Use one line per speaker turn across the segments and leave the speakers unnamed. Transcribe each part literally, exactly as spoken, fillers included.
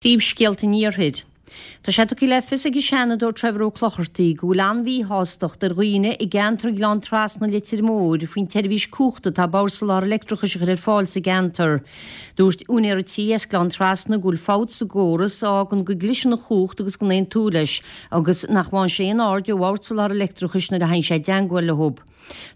Príomhscéalta an Iarthair. Tá sé tugtha le fios ag an Seanadóir Trevor Ó Clochartaigh go bhfuil an-mhíshástacht ar dhaoine i gceantar Ghleann Trasna Leitir Móir faoin tseirbhís cumhachta atá Bord Soláthair Leictreachais a chur ar fáil sa gceantar. Dúirt úinéir tí as Gleann Trasna go bhfuil fabht sa gcóras a fhágann go gcliseann an chumhacht agus go n-aontú leis agus nach bhfaigheann sé aon aird ó Bhord Soláthair Leictreachais nuair a théann sé i dteangmháil leo.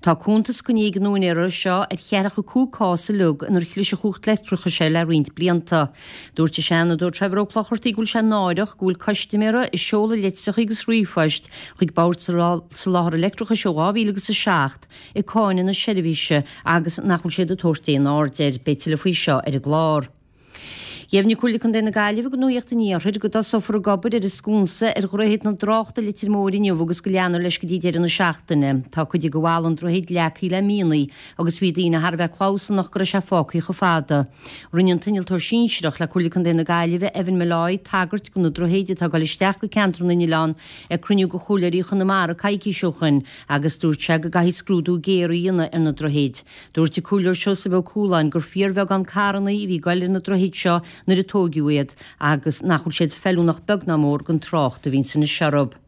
Tá cuntas coinnithe ag an úinéara seo ar cheathracha cúig cás uilig inar chlis an chumhacht leictreachais air le roinnt blianta. Dúirt an Seanadóir Trevor Ó Clochartaigh go bhfuil sé náireach go bhfuil custaiméara ag seoladh litreacha agus ríomhphoist chuig Bord Soláthair Leictreachais ó dhá mhíle agus a seacht ag cáineadh na seirbhíse agus nach bhfuil siad ag tabhairt aon aird air. Beidh tuilleadh faoi seo ar an gclár. Dheimhnigh Comhairle Contae na Gaillimhe do Nuacht an Iarthair go dtosófar ag obair ar an sconsa ar Dhroichead na dTráchta i Leitir Móir inniu agus go leanfar leis go dtí deireadh na seachtaine. Tá cuid de bhalla an droichid leagtha le mianaigh agus bhí daoine thar a bheith clamhsánach go raibh sé fágtha chomh fada. Rinne an t-innealtóir sinsearach le Comhairle Contae na Gaillimhe, Evan Molloy, tagairt do na droichid atá ag dul isteach go ceantar na nOileán ag cruinniú de chomhairleoirí Chonamara coicís ó shoin agus dúirt sé go gcaithfí scrúdú géar a dhéanamh ar na droichid. Dúirt an Comhairleoir Seosamh Ó Cualáin gur fíorbheagán carranna a bhí ag goil ar na droichid seo nuair a tóigeadh iad agus nach bhfuil siad feiliúnach beag ná mór don trácht a bhíonn anois orthu.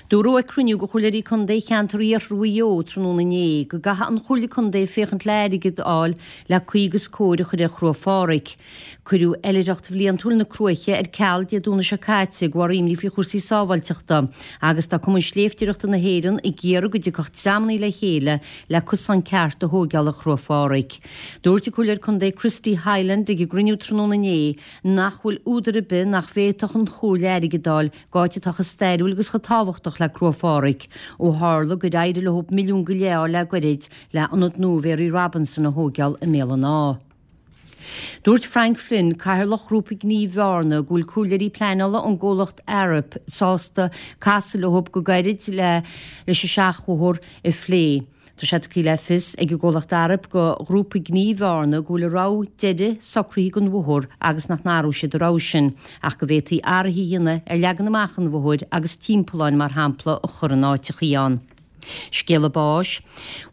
Dúradh ag cruinniú de Chomhairleoirí Contae cheantar Iarthar Mhaigh Eo tráthnóna inné go gcaithfidh an Chomhairle Contae féachaint le airgead a fháil le caoi agus cóir a chur ar Chruaich Phádraig. Cuireadh oilithreacht bhliantúil na Cruaiche ar ceal Dé Domhnaigh seo caite de bharr imní faoi chúrsaí sábháilteachta agus tá Cumann Sléibhteoireachta na hÉireann ag iarraidh go dtiocfadh dreamanna le chéile le cosán ceart a thóigeáil ar Chruaich Phádraig. Dúirt an Comhairleoir Contae Christy Hyland ag an gcruinniú tráthnóna inné nach bhfuil údar ar bith nach bhféadfadh an Chomhairle airgead a fháil d'áit atá chomh stairiúil agus chomh tábhachtach le Cruaich Phádraig, ó tharla gur éirigh leo milliún go leith a fháil le goirid le hionad nua Mhary Robinson a thóigeáil i mBéal an Átha. Dúirt Frank Flynn, Cathaoirleach Ghrúpa Gnímh Bhearna, go bhfuil comhairleoirí pleanála ón gcomhlacht Arup sásta casadh leo go gairid le leis an seachbhóthar a phlé. Tá sé tugtha le fios ag an gcomhlacht Arup do Ghrúpa Gnímh Bhearna go bhfuil a rogha deiridh socraithe don bhóthar agus nach n-athróidh siad a rogha sin ach go bhféadfaí athruithe a dhéanamh ar leagan amach an bhóthair agus timpealláin mar shampla a chur in áiteachaí ann. Scéala báis.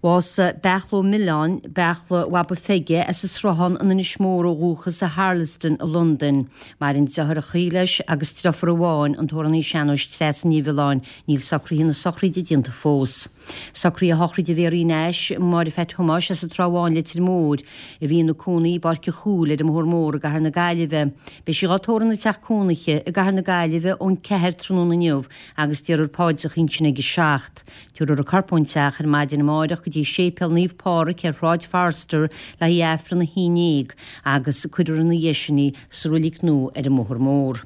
Bhásaigh Beachla Ó Mileáin, Beachla Bhaba Pheige, as an Sruthán in Inis Mór ó dhúchas i Harlesden i Londain. Maireann deartháireachaí leis agus driofúr amháin, an t-amhránaí sean-nóis Treasa Ní Mhiolláin. Níl socruithe na sochraide déanta fós. Socruithe shochraide Mhéaraí Nash, Máire Pheait Thomáis as an Trá Bháin, Leitir Móir, a bhí ina cónaí i bPáirc an Chúil ar an mBóthar Mór i gCathair na Gaillimhe. Beidh sí dhá tórramh ina teach cónaithe i gCathair na Gaillimhe ón ceathair tráthnóna inniu agus déarfar paidreacha ansin ag a seacht. Tabharfar a corp ón teach ar maidin amáireach go dtí Séipéal Naomh Pádraig ar Shráid Forster le haghaidh Aifreann a haon déag agus cuirfear ina dhiaidh sin í sa roilig nua ar an mBóthar Mór.